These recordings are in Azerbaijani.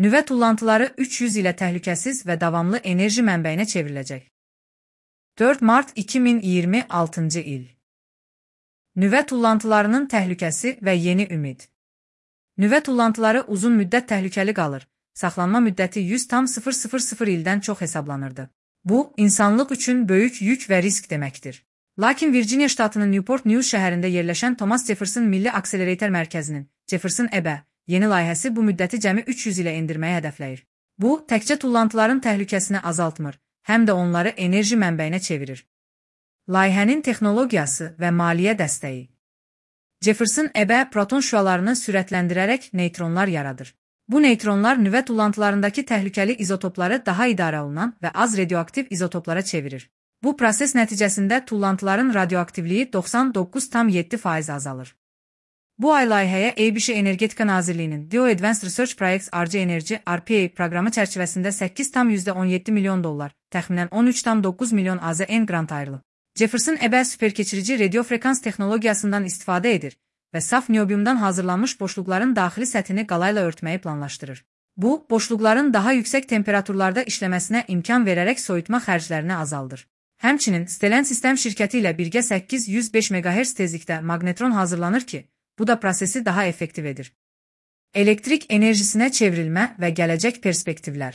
Nüvə tullantıları 300 ilə təhlükəsiz və davamlı enerji mənbəyinə çevriləcək. 4 mart 2026 il. Nüvə tullantılarının təhlükəsi və yeni ümid. Nüvə tullantıları uzun müddət təhlükəli qalır. Saxlanma müddəti 100,000 ildən çox hesablanırdı. Bu, insanlıq üçün böyük yük və risk deməkdir. Lakin Virginia ştatının Newport News şəhərində yerləşən Thomas Jefferson Milli Akselerator Mərkəzinin Jefferson EBE yeni layihəsi bu müddəti cəmi 300 ilə endirməyi hədəfləyir. Bu, təkcə tullantıların təhlükəsini azaltmır, həm də onları enerji mənbəyinə çevirir. Layihənin texnologiyası və maliyyə dəstəyi. Jefferson EBE proton şüalarını sürətləndirərək neytronlar yaradır. Bu neytronlar nüvə tullantılarındakı təhlükəli izotopları daha idarə olunan və az radioaktiv izotoplara çevirir. Bu proses nəticəsində tullantıların radioaktivliyi 99,7% azalır. Bu ay layihəyə ABC Energetika Nazirliyinin DOE Advanced Research Projects RC Energy RPA proqramı çərçivəsində 8,17 milyon dollar, təxminən 13,9 milyon AZN qrant ayrılıb. Jefferson EBE süperkeçirici radiofrekans texnologiyasından istifadə edir və saf niobiumdan hazırlanmış boşluqların daxili səthini qalayla örtməyi planlaşdırır. Bu, boşluqların daha yüksək temperaturlarda işləməsinə imkan verərək soyutma xərclərini azaldır. Həmçinin, Stellan Sistem şirkəti ilə birgə 805 MHz tezlikdə maqnetron hazırlanır ki, bu da prosesi daha effektiv edir. Elektrik enerjisinə çevrilmə və gələcək perspektivlər.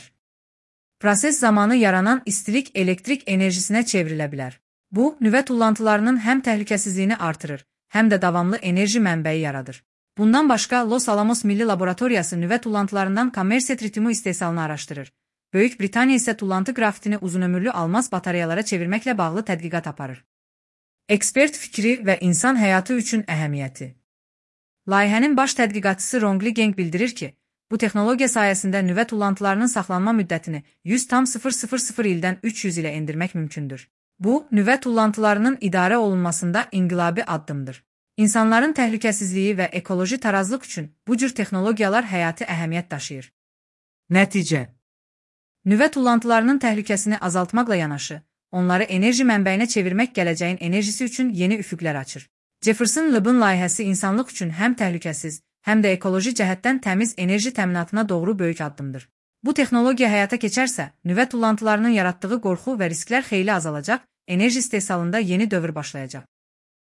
Proses zamanı yaranan istilik elektrik enerjisinə çevrilə bilər. Bu, nüvə tullantılarının həm təhlükəsizliyini artırır, həm də davamlı enerji mənbəyi yaradır. Bundan başqa, Los Alamos Milli Laboratoriyası nüvə tullantılarından kommersiya tritiumu istehsalını araşdırır. Böyük Britaniya isə tullantı qrafitini uzunömürlü almaz batareyalara çevirməklə bağlı tədqiqat aparır. Ekspert fikri və insan həyatı üçün əhəmiyyəti. Layihənin baş tədqiqatçısı Rongli Geng bildirir ki, bu texnologiya sayəsində nüvə tullantılarının saxlanma müddətini 100,000 ildən 300 ilə endirmək mümkündür. Bu, nüvə tullantılarının idarə olunmasında inqilabi addımdır. İnsanların təhlükəsizliyi və ekoloji tarazlıq üçün bu cür texnologiyalar həyati əhəmiyyət daşıyır. Nəticə. Nüvə tullantılarının təhlükəsini azaltmaqla yanaşı, onları enerji mənbəyinə çevirmək gələcəyin enerjisi üçün yeni üfüqlər açır. Jefferson Lab'ın layihəsi insanlıq üçün həm təhlükəsiz, həm də ekoloji cəhətdən təmiz enerji təminatına doğru böyük addımdır. Bu texnologiya həyata keçərsə, nüvə tullantılarının yaratdığı qorxu və risklər xeyli azalacaq, enerji istehsalında yeni dövr başlayacaq.